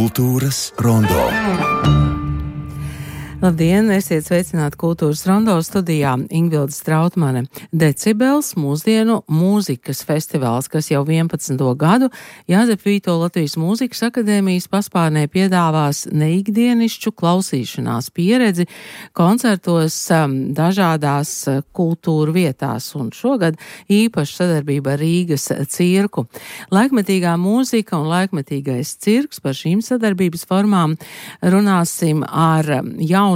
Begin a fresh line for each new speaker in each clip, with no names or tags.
Kultūras rondo.
Labdien, esiet sveicināti Kultūras rondo studijā Ingvilde Strautmane. Decibels mūsdienu mūzikas festivāls, kas jau 11. gadu Jāzep Vīto Latvijas Mūzikas akadēmijas paspārnē piedāvās neikdienišķu klausīšanās pieredzi koncertos dažādās kultūru vietās, un šogad īpaši sadarbība ar Rīgas cirku. Laikmetīgā mūzika un laikmetīgais cirks, par šīm sadarbības formām runāsim ar jauno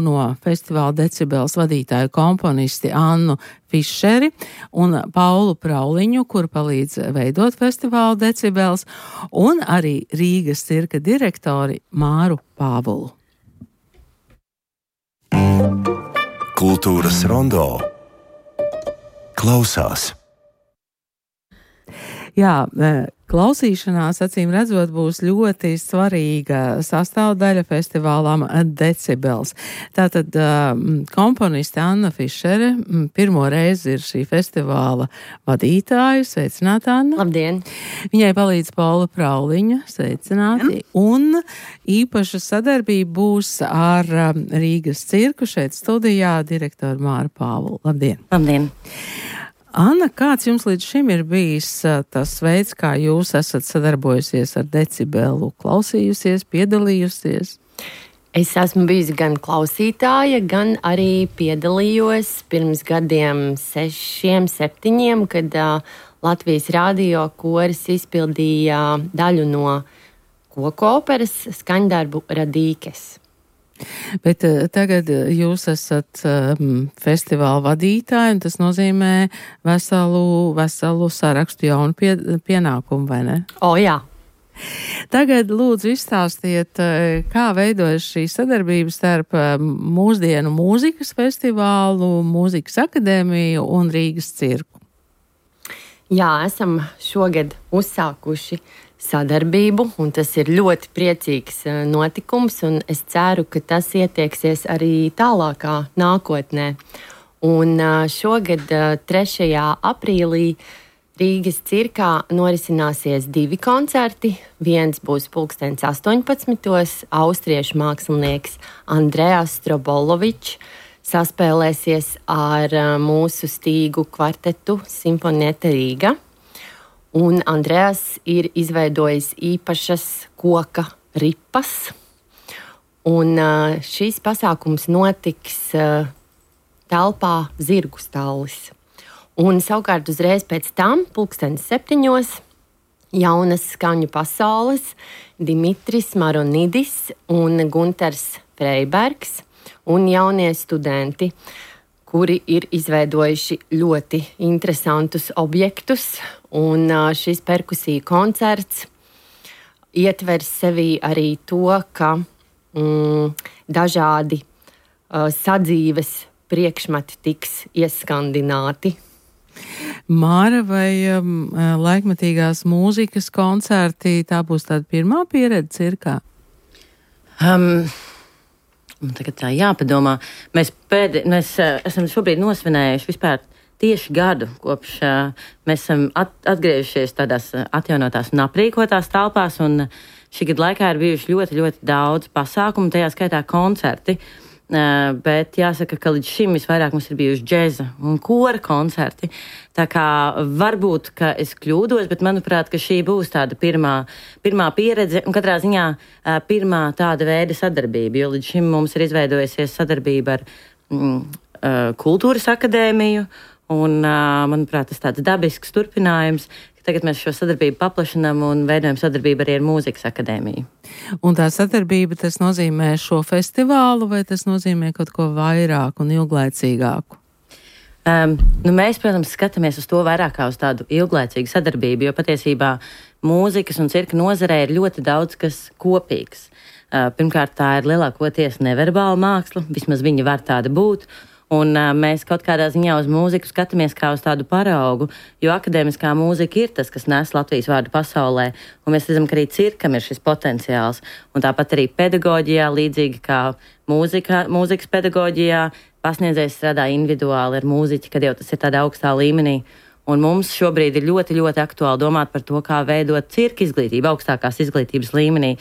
festivāla Decibels vadītāju komponisti Annu Fišeri un Paulu Prauliņu, kur palīdz veidot festivālu Decibels, un arī Rīgas cirka direktori Māru Pāvulu.
Kultūras rondo klausās. Jā, klausīšanās, acīm redzot, būs ļoti svarīga sastāvdaļa festivālām Decibels. Tātad komponiste Anna Fišere pirmo reizi ir šī festivāla vadītāja. Sveicināta, Anna.
Labdien!
Viņai palīdz Paula Prauliņa. Sveicināti! Un īpaša sadarbība būs ar Rīgas cirku šeit studijā direktoru Māru Pāvulu. Labdien!
Labdien!
Anna, kāds jums līdz šim ir bijis tas veids, kā jūs esat sadarbojusies ar Decibelu, klausījusies, piedalījusies?
Es esmu bijusi gan klausītāja, gan arī piedalījos pirms gadiem 6, 7, kad Latvijas radio koris izpildīja daļu no koku operas skaņdarbu Radīkes.
Bet tagad jūs esat festivāla vadītāji, un tas nozīmē veselu sarakstu jaunu pienākumu, vai ne?
Jā.
Tagad lūdzu izstāstiet, kā veidojas šī sadarbība starp mūsdienu mūzikas festivālu, Mūzikas akadēmiju un Rīgas cirku.
Jā, esam šogad uzsākuši sadarbību, un tas ir ļoti priecīgs notikums, un es ceru, ka tas ietieksies arī tālākā nākotnē. Un šogad 3. aprīlī Rīgas cirkā norisināsies 2 koncerti. Viens būs 18:00. Austriešu mākslinieks Andrejas Strobolovičs saspēlēsies ar mūsu stīgu kvartetu Simfonieta Rīga. Un Andrejas ir izveidojis īpašas koka ripas. Un šīs pasākums notiks telpā Zirgu stallis. Un savukārt uzreiz pēc tam, 7:00, jaunas skaņu pasaules Dimitris Maronidis un Gunters Freibergs un jaunie studenti, kuri ir izveidojuši ļoti interesantus objektus, un šis perkusiju koncerts ietvers sevī arī to, ka dažādi sadzīves priekšmeti tiks ieskandināti.
Māra, vai laikmetīgās mūzikas koncerti, tā būs tāda pirmā pieredze cirkā?
Tagad tā jāpadomā. Mēs esam šobrīd nosvinējuši vispār tieši gadu, kopš mēs esam atgriežušies tādās atjaunotās un aprīkotās telpās, un šī gada laikā ir bijuši ļoti, ļoti daudz pasākumu, tajā skaitā koncerti. Bet jāsaka, ka līdz šim visvairāk mums ir bijuši džeza un kora koncerti. Tā kā varbūt, ka es kļūdos, bet manuprāt, ka šī būs tāda pirmā pieredze un katrā ziņā pirmā tāda veida sadarbība, jo līdz šim mums ir izveidojusies sadarbība ar Kultūras akadēmiju un, manuprāt, tas tāds dabisks turpinājums. Tagad mēs šo sadarbību paplašinām un veidojam sadarbību arī ar Mūzikas akadēmiju.
Un tā sadarbība, tas nozīmē šo festivālu, vai tas nozīmē kaut ko vairāk un ilglaicīgāku?
Mēs, protams, skatāmies uz to vairāk kā uz tādu ilglaicīgu sadarbību, jo patiesībā mūzikas un cirka nozarē ir ļoti daudz kas kopīgs. Pirmkārt, tā ir lielākoties neverbāla māksla, vismaz viņa var tāda būt. Un mēs kaut kādā ziņā uz mūziku skatāmies kā uz tādu paraugu, jo akadēmiskā mūzika ir tas, kas nes Latvijas vārdu pasaulē, un mēs redzam, ka arī cirkam ir šis potenciāls. Un tāpat arī pedagoģijā, līdzīgi kā mūzikas pedagoģijā, pasniedzējs strādā individuāli ar mūziķi, kad jau tas ir tādā augstā līmenī. Un mums šobrīd ir ļoti, ļoti aktuāli domāt par to, kā veidot cirka izglītību augstākās izglītības līmenī.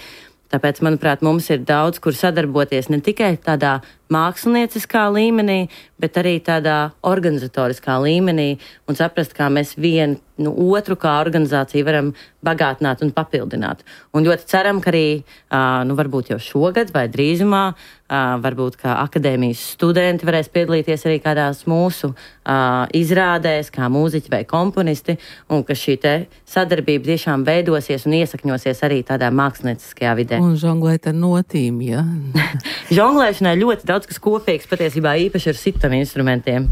Tāpēc, manuprāt, mums ir daudz, kur sadarboties ne tikai tādā mākslinieciskā līmenī, bet arī tādā organizatoriskā līmenī un saprast, kā mēs vienu otru kā organizāciju varam bagātināt un papildināt. Un ļoti ceram, ka arī, varbūt jau šogad vai drīzumā, varbūt kā akadēmijas studenti varēs piedalīties arī kādās mūsu izrādēs, kā mūziķi vai komponisti, un ka šī te sadarbība tiešām veidosies un iesakņosies arī tādā mākslinieckajā vidē.
Un žonglēt ar notīm, ja?
Žonglēšanai ļoti daudz kas kopīgs, patiesībā īpaši ar sitam instrumentiem.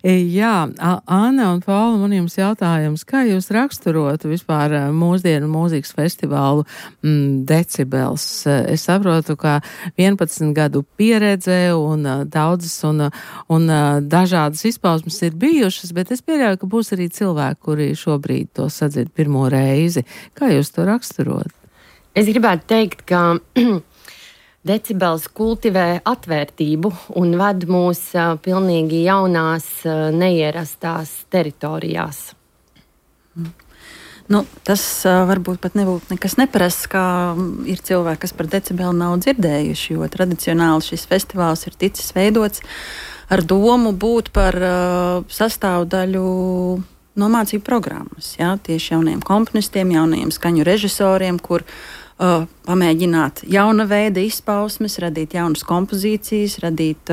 Jā, Anna un Paula, man jums jautājums, kā jūs raksturotu vispār mūsdienu mūzikas festivālu Decibels? Es saprotu, ka 11 gadu pieredze un daudzas un dažādas izpausmes ir bijušas, bet es pieļauju, ka būs arī cilvēki, kuri šobrīd to sadzird pirmo reizi. Kā jūs to raksturot?
Es gribētu teikt, ka Decibels kultivē atvērtību un ved mūs pilnīgi jaunās, neierastās teritorijās.
Tas varbūt pat nebūtu nekas neparasts, kā ir cilvēki, kas par Decibelu nav dzirdējuši, jo tradicionāli šis festivāls ir ticis veidots ar domu būt par sastāvdaļu no mācību programmas. Ja? Tieši jauniem komponistiem, jauniem skaņu režisoriem, kur pamēģināt jauna veida izpausmes, radīt jaunas kompozīcijas, radīt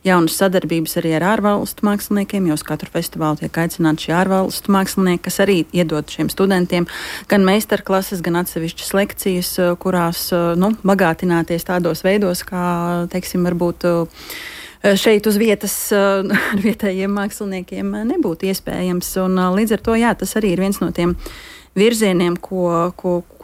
jaunas sadarbības arī ar ārvalstu māksliniekiem, jo uz katru festivālu tiek aicināti šie ārvalstu mākslinieki, kas arī iedod šiem studentiem gan meistarklases, gan atsevišķas lekcijas, kurās bagātināties tādos veidos, kā, teiksim, varbūt šeit uz vietas ar vietējiem māksliniekiem nebūtu iespējams. Un līdz ar to, jā, tas arī ir viens no tiem virzieniem, ko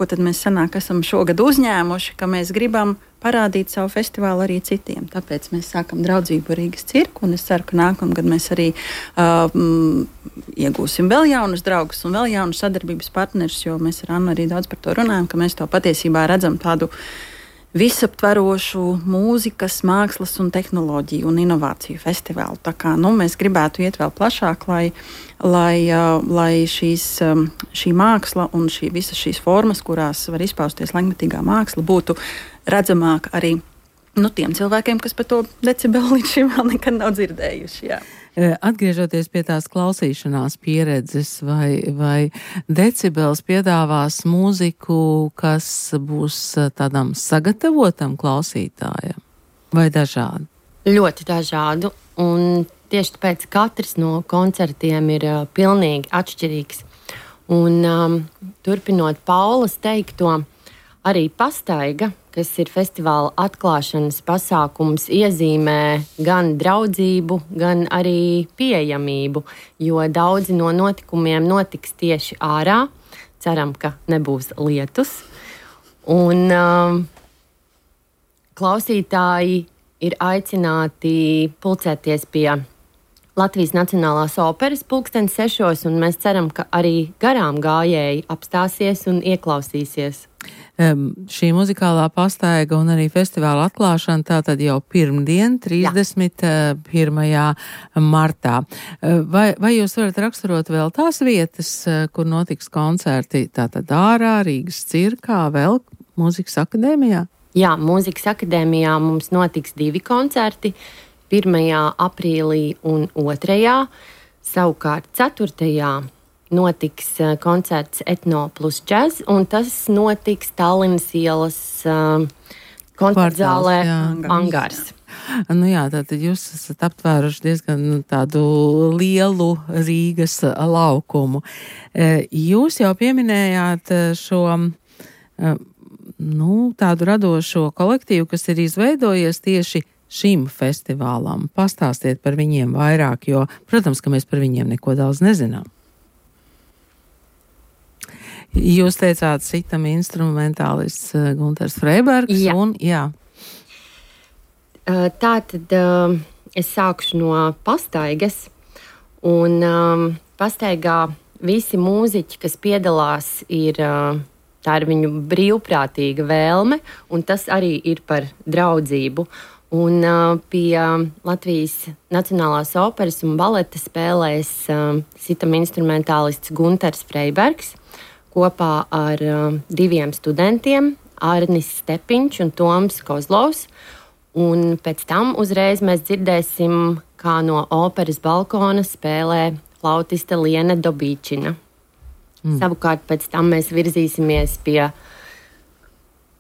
tad mēs esam šogad uzņēmuši, ka mēs gribam parādīt savu festivālu arī citiem. Tāpēc mēs sākam draudzību Rīgas cirku, un es ceru, ka nākamgad mēs arī iegūsim vēl jaunus draugus un vēl jaunus sadarbības partnerus, jo mēs ar Annu arī daudz par to runājam, ka mēs to patiesībā redzam tādu visaptverošu mūzikas, mākslas un tehnoloģiju un inovāciju festivālu. Tā kā mēs gribētu iet vēl plašāk, lai šī māksla un visas šīs formas, kurās var izpausties laikmetīgā māksla, būtu redzamāka arī tiem cilvēkiem, kas par to Decibelu līdz šim vēl nekad nav dzirdējuši. Jā.
Atgriežoties pie tās klausīšanās pieredzes, vai Decibels piedāvās mūziku, kas būs tādam sagatavotam klausītājam, vai dažādi?
Ļoti dažādu, un tieši tāpēc katrs no koncertiem ir pilnīgi atšķirīgs. Un turpinot Paulas teikto, arī Pastaiga, kas ir festivāla atklāšanas pasākums, iezīmē gan draudzību, gan arī pieejamību, jo daudzi no notikumiem notiks tieši ārā. Ceram, ka nebūs lietus. Un klausītāji ir aicināti pulcēties pie Latvijas Nacionālās operas 6:00, un mēs ceram, ka arī garām gājēji apstāsies un ieklausīsies.
Šī muzikālā pastaiga un arī festivāla atklāšana tātad jau pirmdien, 31. martā. Vai jūs varat raksturot vēl tās vietas, kur notiks koncerti, tātad ārā, Rīgas cirkā, vēl Mūzikas akadēmijā?
Jā, Mūzikas akadēmijā mums notiks 2 koncerti, 1. aprīlī un 2. Savukārt 4. notiks koncerts Etno plus džaz, un tas notiks Tallinas ielas koncertzālē Angārs.
Jā, tātad jūs esat aptvēruši diezgan tādu lielu Rīgas laukumu. Jūs jau pieminējāt šo tādu radošo kolektīvu, kas ir izveidojies tieši šim festivālam. Pastāstiet par viņiem vairāk, jo, protams, ka mēs par viņiem neko daudz nezinām. Jūs teicāt sitam instrumentālists Gunters Freibergs. Jā.
Tātad es sākšu no Pastaigas. Un Pastaigā visi mūziķi, kas piedalās, tā ir viņu brīvprātīga vēlme, un tas arī ir par draudzību. Un pie Latvijas Nacionālās operas un baleta spēlēs sitam instrumentālists Gunters Freibergs kopā ar 2 studentiem, Arnis Stepiņš un Toms Kozlovs. Un pēc tam uzreiz mēs dzirdēsim, kā no operas balkona spēlē flautiste Liena Dobīčina. Savukārt pēc tam mēs virzīsimies pie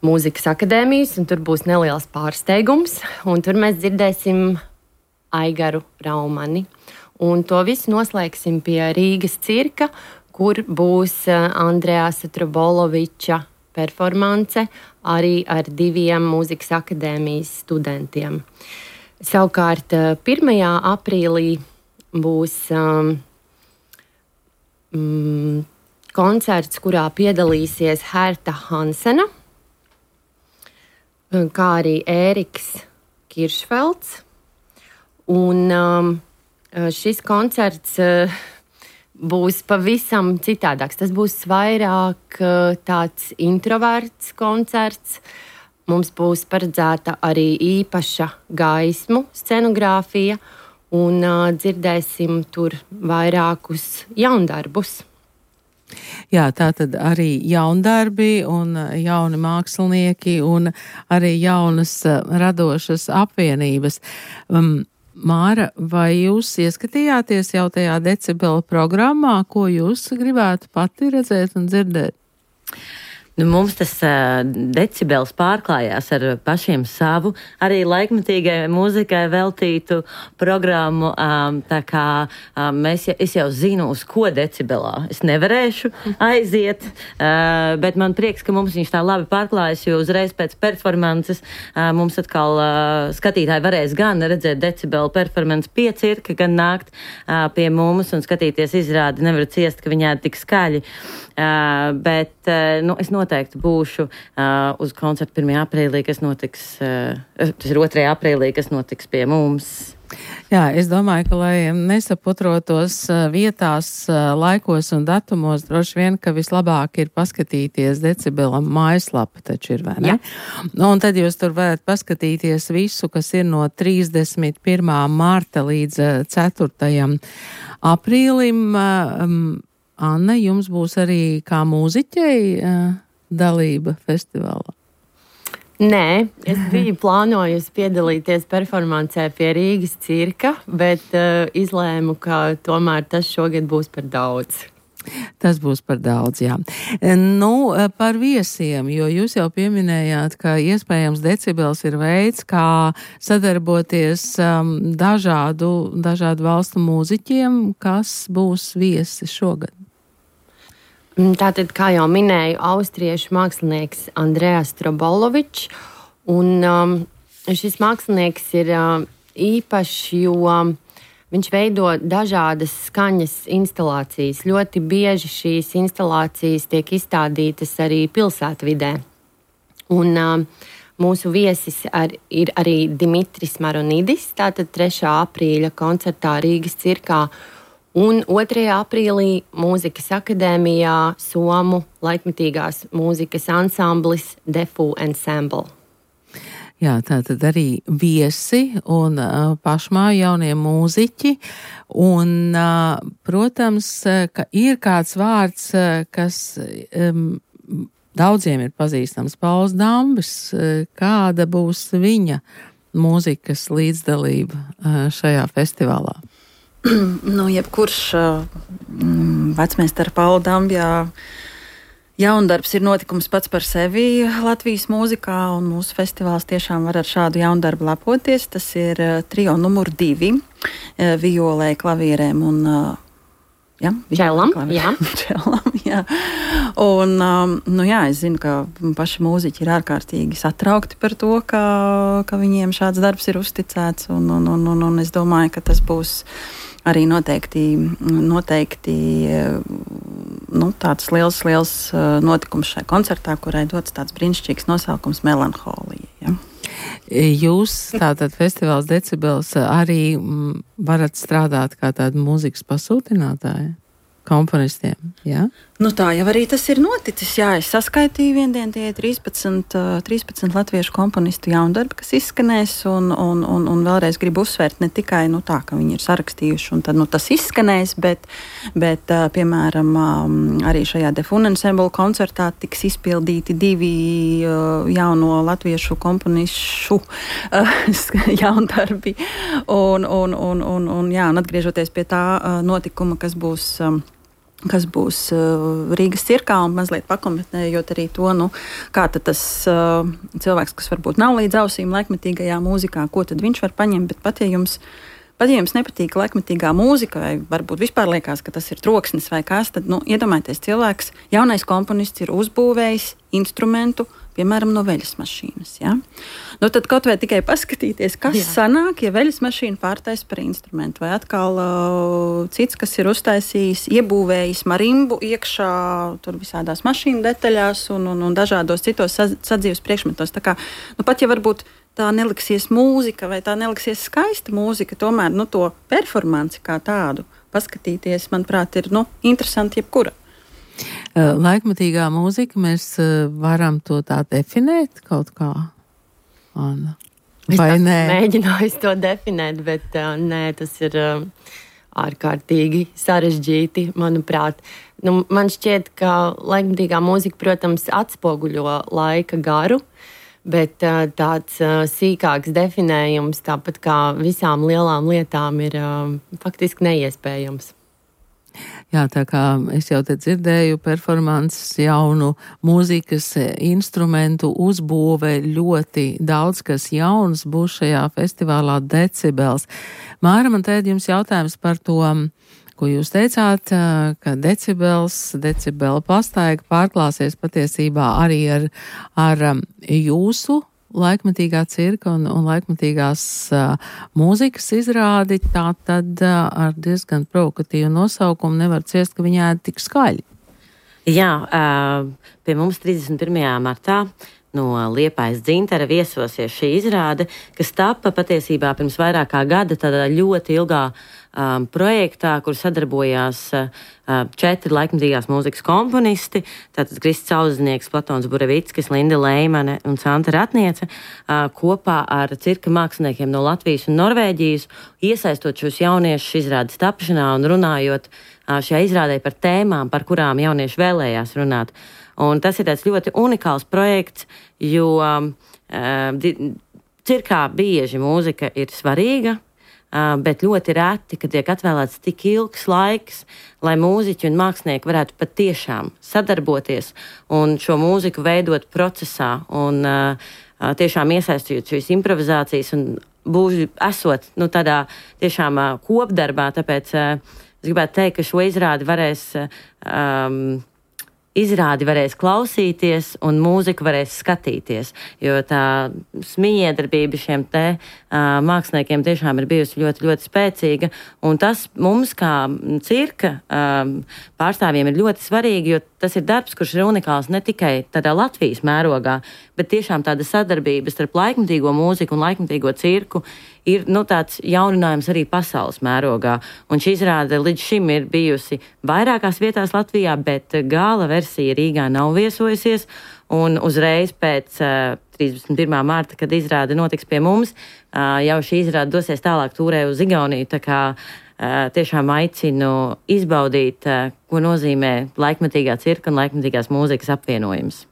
Mūzikas akadēmijas, un tur būs neliels pārsteigums, un tur mēs dzirdēsim Aigaru Raumani. Un to visu noslēgsim pie Rīgas cirka, kur būs Andreasa Troboloviča performance arī ar 2 Mūzikas akadēmijas studentiem. Savukārt 1. aprīlī būs koncerts, kurā piedalīsies Herta Hansena, kā arī Ēriks Kiršfelds. Un šis koncerts būs pavisam citādāks. Tas būs vairāk tāds introverts koncerts. Mums būs paredzēta arī īpaša gaismu scenogrāfija, un dzirdēsim tur vairākus jaundarbus.
Jā, tā tad arī jaundarbi un jauni mākslinieki un arī jaunas radošas apvienības. Māra, vai jūs ieskatījāties jau tajā decibela programmā, ko jūs gribētu pati redzēt un dzirdēt?
Mums tas decibels pārklājās ar pašiem savu, arī laikmetīgai mūzikai veltītu programmu. Tā kā es jau zinu, uz ko decibelā es nevarēšu aiziet, bet man prieks, ka mums viņš tā labi pārklājas, jo uzreiz pēc performances mums atkal skatītāji varēs gan redzēt decibelu performance pie cirka, gan nākt pie mums un skatīties izrādi. Nevaru ciest, ka viņā tik skaļi. Bet es noteikti būšu uz koncertu 1. aprīlī, kas notiks, tas ir 2. aprīlī, kas notiks pie mums.
Jā, es domāju, ka, lai nesaputrotos vietās, laikos un datumos, droši vien, ka vislabāk ir paskatīties Decibelam mājaslapa, taču ir, vai ne? Jā. Un tad jūs tur varat paskatīties visu, kas ir no 31. marta līdz 4. aprīlim. Anna, jums būs arī kā mūziķei dalība festivālā?
Nē, es biju plānojusi piedalīties performancē pie Rīgas cirka, bet izlēmu, ka tomēr tas šogad būs par daudz.
Tas būs par daudz, jā. Par viesiem, jo jūs jau pieminējāt, ka iespējams decibels ir veids, kā sadarboties dažādu valstu mūziķiem, kas būs viesi šogad.
Tātad, kā jau minēju, austriešu mākslinieks Andreas Trobolovičs, un šis mākslinieks ir īpašs, jo viņš veido dažādas skaņas instalācijas. Ļoti bieži šīs instalācijas tiek izstādītas arī pilsētvidē. Un mūsu viesis ir arī Dimitris Maronidis, tātad 3. aprīļa koncertā Rīgas cirkā, un 2. aprīlī Mūzikas akadēmijā Somu laikmetīgās mūzikas ansamblis Defu Ensemble.
Jā, tātad arī viesi un pašmāju jaunie mūziķi. Un, protams, ka ir kāds vārds, kas daudziem ir pazīstams, Pauls Dambis. Kāda būs viņa mūzikas līdzdalība šajā festivālā?
Jebkurš vecmeistara Paula Dambjā jaundarbs ir notikums pats par sevi Latvijas mūzikā, un mūsu festivāls tiešām var ar šādu jaundarbu lepoties. Tas ir trio numur 2, violē, klavierēm un
čelam.
Jā. Un, es zinu, ka paši mūziķi ir ārkārtīgi satraukti par to, ka viņiem šāds darbs ir uzticēts, un es domāju, ka tas būs arī noteikti tāds liels notikums šai koncertā, kurai dots tāds brīnišķīgs nosaukums Melanholija. Ja?
Jūs, tātad festivāls Decibels, arī varat strādāt kā tāda mūzikas pasūtinātāja? komponistiem, jā?
Nu tā jau arī tas ir noticis, jā, es saskaitīju viendien tie 13 latviešu komponistu jaundarbi, kas izskanēs, un vēlreiz gribu uzsvērt ne tikai, tā, ka viņi ir sarakstījuši, un tad, tas izskanēs, bet piemēram, arī šajā Defun Ensemble koncertā tiks izpildīti 2 jauno latviešu komponišu jaundarbi, un atgriežoties pie tā notikuma, kas būs Rīgas cirkā, un mazliet pakomentējot arī to, kā tad tas cilvēks, kas varbūt nav līdz ausīm laikmetīgajā mūzikā, ko tad viņš var paņemt, bet pat ja jums nepatīk laikmetīgā mūzika, vai varbūt vispār liekas, ka tas ir troksnis vai kas, tad, iedomājieties, cilvēks, jaunais komponists ir uzbūvējis instrumentu, piemēram, no veļas mašīnas. Ja? Tad kaut vai tikai paskatīties, kas sanāk, ja veļas mašīna pārtais par instrumentu. Vai atkal cits, kas ir uztaisījis, iebūvējis marimbu iekšā tur visādās mašīnu detaļās un dažādos citos sadzīves priekšmetos. Tā kā, pat ja varbūt tā neliksies mūzika vai tā neliksies skaista mūzika, tomēr to performanci kā tādu paskatīties, manuprāt, ir interesanti jebkura.
Laikmatīgā mūzika, mēs varam to tā definēt kaut kā, Anna? Vai nē?
Es mēģināju to definēt, bet nē, tas ir ārkārtīgi sarežģīti, manuprāt. Man šķiet, ka laikmatīgā mūzika, protams, atspoguļo laika garu, bet tāds sīkāks definējums, tāpat kā visām lielām lietām, ir faktiski neiespējams.
Jā, tā kā es jau te dzirdēju, performances, jaunu mūzikas instrumentu uzbūve, ļoti daudz kas jauns būs šajā festivālā Decibels. Māra, man tēd jums jautājums par to, ko jūs teicāt, ka decibela pastaiga pārklāsies patiesībā arī ar jūsu laikmatīgā cirka un laikmatīgās mūzikas izrādi, tā tad ar diezgan provokatīvu nosaukumu nevar ciest, ka viņi ēd tik skaļi.
Jā, pie mums 31. martā no Liepājas Dzintara viesosies šī izrāde, kas tapa patiesībā pirms vairāk kā gada tādā ļoti ilgā projektā, kur sadarbojās 4 laikmatīgās mūzikas komponisti, tātad Kristis Auznieks, Platons Burevickis, Linda Leimane un Santa Ratniece, kopā ar cirka māksliniekiem no Latvijas un Norvēģijas, iesaistot šos jauniešus izrādes tapšanā un runājot šajā izrādē par tēmām, par kurām jaunieši vēlējās runāt. Un tas ir tāds ļoti unikāls projekts, jo cirkā bieži mūzika ir svarīga, bet ļoti reti, kad tiek atvēlēts tik ilgs laiks, lai mūziķi un mākslinieki varētu patiešām sadarboties un šo mūziku veidot procesā un tiešām iesaistīt šīs improvizācijas un esot tādā tiešām kopdarbā. Tāpēc es gribētu teikt, ka šo izrādi varēs klausīties un mūziku varēs skatīties, jo tā mijiedarbība šiem te māksliniekiem tiešām ir bijusi ļoti, ļoti spēcīga, un tas mums kā cirka pārstāvjiem ir ļoti svarīgi, jo tas ir darbs, kurš ir unikāls ne tikai tādā Latvijas mērogā, bet tiešām tāda sadarbība starp laikmatīgo mūziku un laikmatīgo cirku ir tāds jauninājums arī pasaules mērogā. Un šī izrāde līdz šim ir bijusi vairākās vietās Latvijā, bet gala versija Rīgā nav viesojusies. Un uzreiz pēc 31. marta, kad izrāde notiks pie mums, jau šī izrāde dosies tālāk tūrē uz Igauniju. Tā kā tiešām aicinu izbaudīt, ko nozīmē laikmatīgā cirka un laikmatīgās mūzikas apvienojums.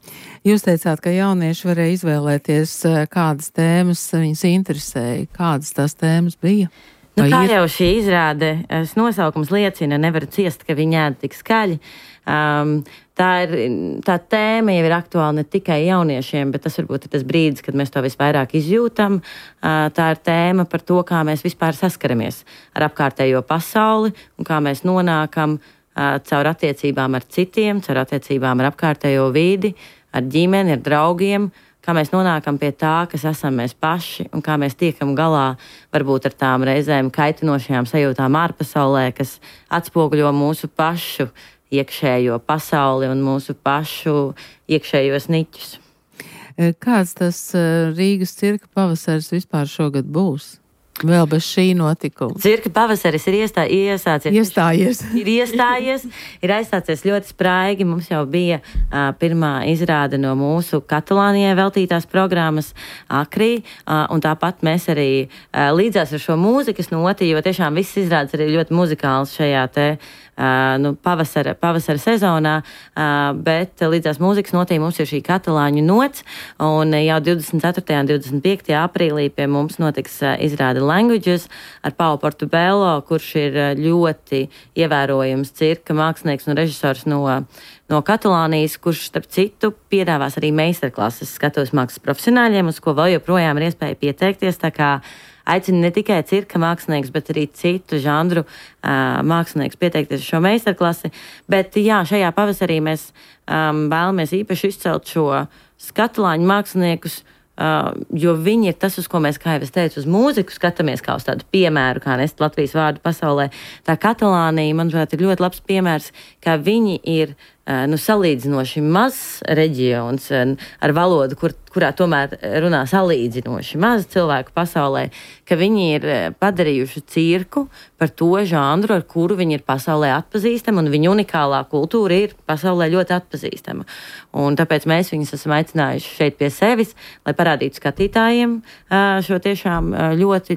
Jūs teicāt, ka jaunieši varēja izvēlēties, kādas tēmas viņus interesēja. Kādas tās tēmas bija?
Kā jau šī izrāde nosaukums liecina, nevar ciest, ka viņi ēd tik skaļi. Tā tēma jau ir aktuāla ne tikai jauniešiem, bet tas varbūt ir tas brīdis, kad mēs to visvairāk izjūtam. Tā ir tēma par to, kā mēs vispār saskaramies ar apkārtējo pasauli un kā mēs nonākam caur attiecībām ar citiem, caur attiecībām ar apkārtējo vidi, ar ģimeni, ar draugiem, kā mēs nonākam pie tā, kas esam mēs paši un kā mēs tiekam galā varbūt ar tām reizēm kaitinošajām sajūtām ārpasaulē, kas atspoguļo mūsu pašu iekšējo pasauli un mūsu pašu iekšējos niķus.
Kāds tas Rīgas cirka pavasaris vispār šogad būs? Vēl bez šī notikuma.
Cirka pavasaris ir iestājies. Ir aizstācies ļoti spraigi. Mums jau bija pirmā izrāde no mūsu Katalānijai veltītās programmas Akrī, un tāpat mēs arī līdzās ar šo mūzikas noti, jo tiešām viss izrādes arī ļoti muzikāls šajā te pavasara sezonā, bet līdzās mūzikas notī mums ir šī katalāņu nots, un jau 24. un 25. aprīlī pie mums notiks izrāde Languages ar Pau Portobello, kurš ir ļoti ievērojams cirka mākslinieks un režisors no Katalānijas, kurš, starp citu, piedāvās arī meistarklases skatuves mākslas profesionāļiem, uz ko vēl joprojām ir iespēja pieteikties, tā kā aicinu ne tikai cirka mākslinieks, bet arī citu žanru mākslinieks pieteikties šo meistarklasi. Bet jā, šajā pavasarī mēs vēlamies īpaši izcelt šo katalāņu māksliniekus, jo viņi ir tas, uz ko mēs, kā jau es teicu, uz mūziku skatāmies kā uz tādu piemēru, kā nest Latvijas vārdu pasaulē. Tā Katalānija, manuprāt, ir ļoti labs piemērs, kā viņi ir salīdzinoši mazs reģions ar valodu, kurā tomēr runā salīdzinoši maz cilvēku pasaulē, ka viņi ir padarījuši cirku par to žanru, ar kuru viņi ir pasaulē atpazīstama, un viņu unikālā kultūra ir pasaulē ļoti atpazīstama. Un tāpēc mēs viņus esam aicinājuši šeit pie sevis, lai parādītu skatītājiem šo tiešām ļoti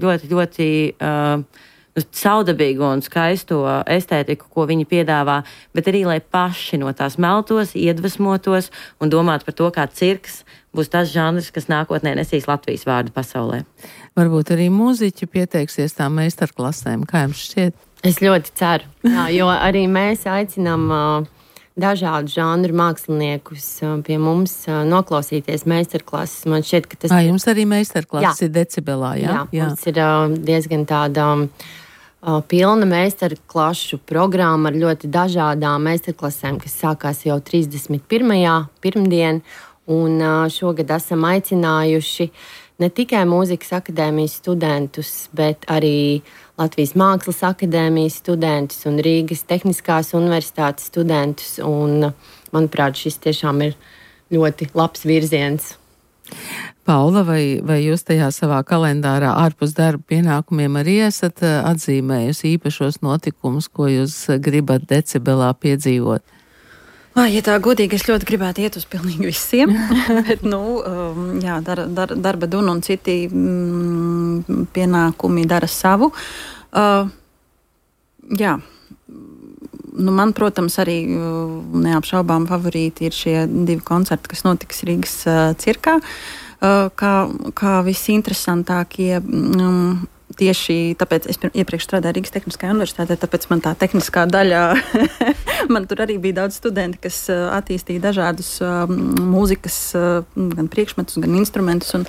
saudabīgu un skaisto estētiku, ko viņi piedāvā, bet arī, lai paši no tās meltos, iedvesmotos un domātu par to, kā cirks būs tas žanrs, kas nākotnē nesīs Latvijas vārdu pasaulē.
Varbūt arī mūziķi pieteiksies tām meistarklasēm, kā jums šķiet?
Es ļoti ceru, jo arī mēs aicinām dažādu žanru māksliniekus pie mums noklausīties meistarklases. Man šķiet, ka tas
jums arī meistarklases ir Decibelā, jā?
Jā, mums ir diezgan tāda pilna meistarklašu programma ar ļoti dažādām meistarklasēm, kas sākās jau 31. pirmdien, un šogad esam aicinājuši ne tikai Mūzikas akadēmijas studentus, bet arī Latvijas Mākslas akadēmijas studentus un Rīgas Tehniskās universitātes studentus, un, manuprāt, šis tiešām ir ļoti labs virziens.
Paula, vai jūs tajā savā kalendārā ārpus darba pienākumiem arī esat atzīmējusi īpašos notikumus, ko jūs gribat Decibelā piedzīvot?
Ja tā godīgi, es ļoti gribētu iet uz pilnīgi visiem, bet, darba duna un citi pienākumi dara savu. Man, protams, arī neapšaubām favorīti ir šie 2 koncerti, kas notiks Rīgas cirkā, kā visinteresantākie. Tieši tāpēc es iepriekš strādāju Rīgas Tehniskajā universitātē, tāpēc man tā tehniskā daļa, man tur arī bija daudz studenti, kas attīstīja dažādus mūzikas, gan priekšmetus, gan instrumentus, un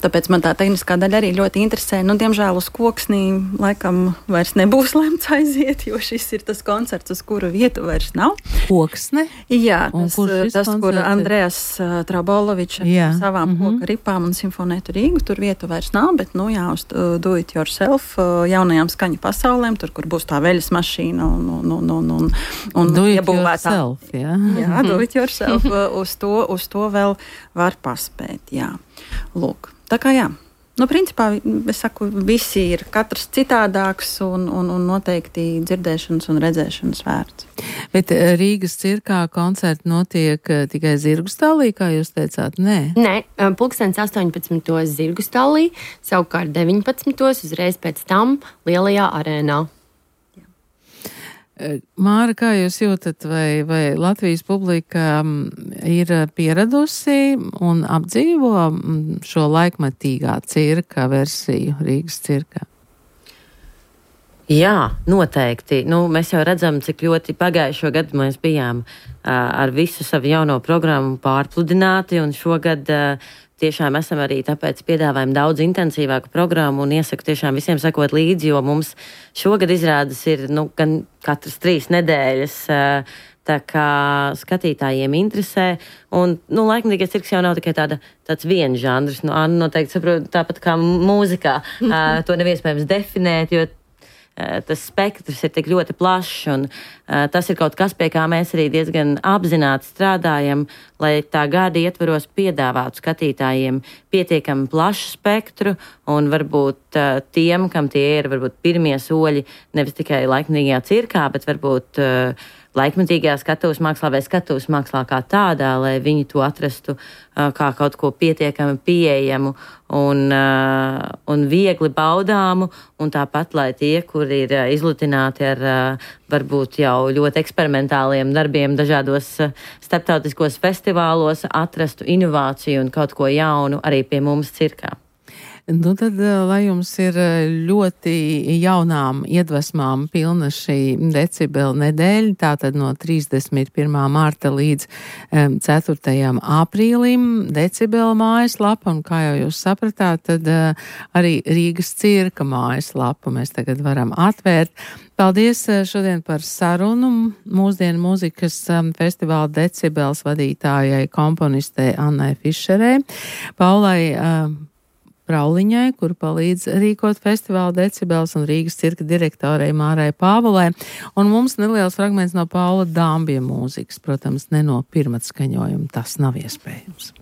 tāpēc man tā tehniskā daļa arī ļoti interesē. Diemžēl uz Koksnī laikam vairs nebūs lemts aiziet, jo šis ir tas koncerts, uz kuru vietu vairs nav.
Koksne?
Jā, tas kur Andrejas Trabolovičs ar savām koka ripām un simfonētu Rīgu, tur vietu vairs nav, bet, uz Do It Yourself jaunajām skaņu pasaulēm, tur, kur būs tā veļas mašīna un
Do It
iebūvētā.
Yourself, jā.
Jā, Do It Yourself, uz to vēl var paspēt, jā. Lūk, tā kā jā. Principā, es saku, visi ir katrs citādāks un noteikti dzirdēšanas un redzēšanas vērts.
Bet Rīgas cirkā koncerti notiek tikai Zirgustālī, kā jūs teicāt? Nē,
18. Zirgustālī, savukārt 19. uzreiz pēc tam Lielajā arēnā.
Māra, kā jūs jūtat, vai Latvijas publika ir pieradusi un apdzīvo šo laikmetīgā cirka versiju Rīgas cirkā?
Jā, noteikti. Mēs jau redzam, cik ļoti pagājušo gadu mēs bijām ar visu savu jauno programmu pārpludināti, un šogad tiešām esam arī tāpēc piedāvājam daudz intensīvāku programmu un iesaku tiešām visiem sekot līdzi, jo mums šogad izrādes ir gan katras 3 nedēļas, tā kā skatītājiem interesē. Un, laikmetīgais cirks jau nav tikai tāds viens žanrs. Anna noteikti saprot tāpat kā mūzikā. To nav iespējams definēt, jo tas spektrs ir tik ļoti plašs, un tas ir kaut kas, pie kā mēs arī diezgan apzināti strādājam, lai tā gada ietvaros piedāvātu skatītājiem pietiekami plašu spektru, un varbūt tiem, kam tie ir varbūt pirmie soļi, nevis tikai laikmatīgajā cirkā, bet varbūt laikmatīgajā skatuves mākslā vai skatuves mākslā kā tādā, lai viņi to atrastu kā kaut ko pietiekami pieejamu un viegli baudāmu, un tāpat, lai tie, kuri ir izlutināti ar varbūt jau ļoti eksperimentāliem darbiem dažādos starptautiskos festivālos, atrastu inovāciju un kaut ko jaunu arī pie mums cirkā.
Nu tad, lai jums ir ļoti jaunām iedvesmām pilna šī decibela nedēļa, tātad no 31. marta līdz 4. aprīlim decibela mājaslapa, un kā jau jūs sapratāt, tad arī Rīgas cirka mājaslapu mēs tagad varam atvērt. Paldies šodien par sarunu mūsdienu mūzikas festivāla decibels vadītājai komponistei Annai Fišerei, Paulai Prauliņai, kur palīdz rīkot festivāla decibels, un Rīgas cirka direktorei Mārai Pāvulai. Un mums neliels fragments no Paula Dambja mūzikas, protams, ne no pirmatskaņojuma, tas nav iespējams.